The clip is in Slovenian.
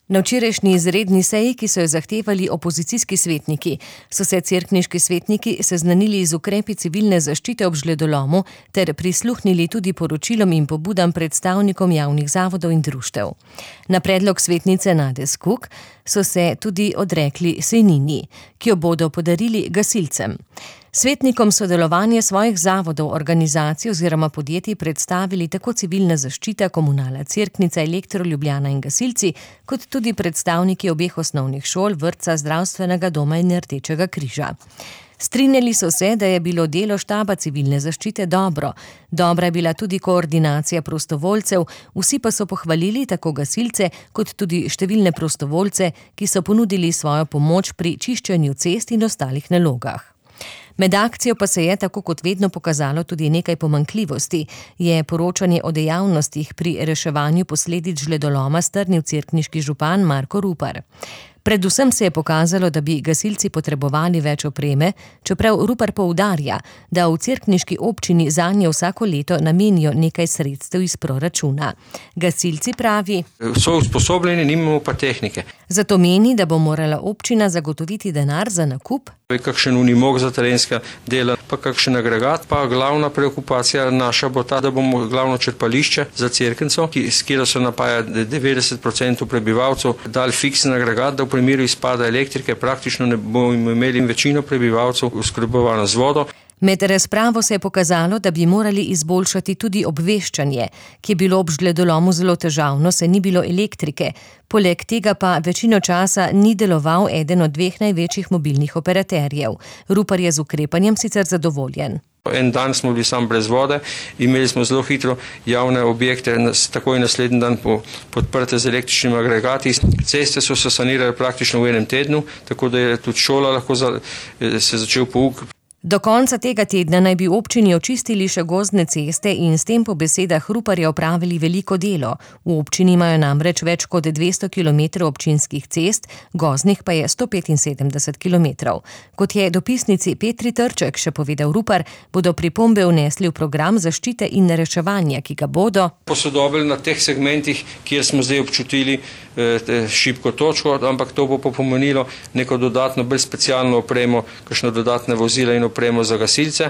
Na včerajšnji izredni seji, ki so jo zahtevali opozicijski svetniki, so se cerkniški svetniki seznanili z ukrepi civilne zaščite ob žledolomu ter prisluhnili tudi poročilom in pobudam predstavnikom javnih zavodov in društev. Na predlog svetnice Nade Skok so se tudi odrekli sejnini, ki jo bodo podarili gasilcem. Svetnikom sodelovanje svojih zavodov, organizacij oziroma podjetij predstavili tako civilna zaščita, Komunala Cerknica, Elektro Ljubljana in gasilci, kot tudi predstavniki obeh osnovnih šol, vrtca, zdravstvenega doma in Rdečega križa. Strinjali so se, da je bilo delo štaba civilne zaščite dobro. Dobra je bila tudi koordinacija prostovoljcev, vsi pa so pohvalili tako gasilce, kot tudi številne prostovoljce, ki so ponudili svojo pomoč pri čiščenju cest in ostalih nalogah. Med akcijo pa se je, tako kot vedno, pokazalo tudi nekaj pomanjkljivosti, je poročanje o dejavnostih pri reševanju posledic žledoloma strnil cerkniški župan Marko Rupar. Predvsem se je pokazalo, da bi gasilci potrebovali več opreme, čeprav Rupar poudarja, da v cerkniški občini zanje vsako leto namenijo nekaj sredstev iz proračuna. Gasilci pravi: so usposobljeni, nimamo pa tehnike. Zato meni, da bo morala občina zagotoviti denar za nakup. Kakšen unimog za terenska dela, pa kakšen agregat, pa glavna preokupacija naša bo ta, da bomo glavno črpališče za Cerknico, s katero se napaja 90% prebivalcev, dali fiksen agregat, da v primeru izpada elektrike praktično ne bomo imeli večino prebivalcev oskrbovano z vodo. Med razpravo se je pokazalo, da bi morali izboljšati tudi obveščanje, ki je bilo ob žledolomu zelo težavno, saj ni bilo elektrike. Poleg tega pa večino časa ni deloval eden od dveh največjih mobilnih operaterjev. Rupar je z ukrepanjem sicer zadovoljen. En dan smo bili sam brez vode, imeli smo zelo hitro javne objekte, takoj naslednji dan podprte z električnimi agregati. Ceste so se sanirale praktično v enem tednu, tako da je tudi šola lahko se začel pouk. Do konca tega tedna naj bi občini očistili še gozdne ceste in s tem po besedah Ruparja opravili veliko delo. V občini imajo namreč več kot 200 km občinskih cest, gozdnih pa je 175 km. Kot je dopisnici Petri Trček še povedal Rupar, bodo pripombe vnesli v program zaščite in reševanja, ki ga bodo posodobili na teh segmentih, kjer smo zdaj občutili šibko točko, ampak to bo pomenilo neko dodatno, bolj specialno opremo, kakšno dodatne vozila in opremo za gasilce.